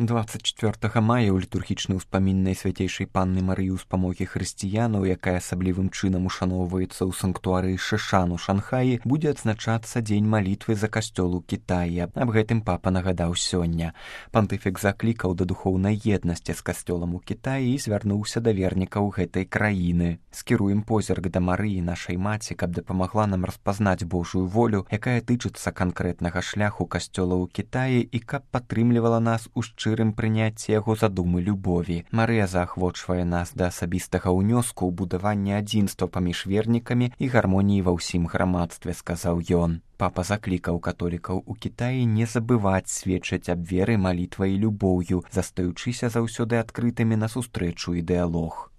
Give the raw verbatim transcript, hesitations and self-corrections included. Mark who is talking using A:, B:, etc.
A: двадцать чацвёртага мая ў літургічнай успамін Найсвяцейшай Панны Марыі ўспамогі хрысціянаў, якая асаблівым чынам ушаноўваецца ў санктуары Шышан у Шанхаі, будзе адзначацца дзень малітвы за касцёл у Кітаі. Аб гэтым папа нагадаў сёння. Пантыфік заклікаў да духоўнай еднасці з касцёлам у Кітаі і звярнуўся да вернікаў гэтай краіны. Скіруем позірк да Марыі, нашай маці, каб дапамагла нам распазнаць Божую волю, якая тычыцца канкрэтнага шляху касцёла ў Кітаі, і каб падтрымлівала нас у шчырым прыняцці яго задумы любові. Марыя заахвочвае нас да асабістага ўнёску ў будаванне адзінства паміж вернікамі і гармоніі ва ўсім грамадстве, сказаў ён. Папа заклікаў католікаў у Кітаі не забываць сведчыць аб веры, малітвай і любоўю, застаючыся заўсёды адкрытымі на сустрэчу і дыялог.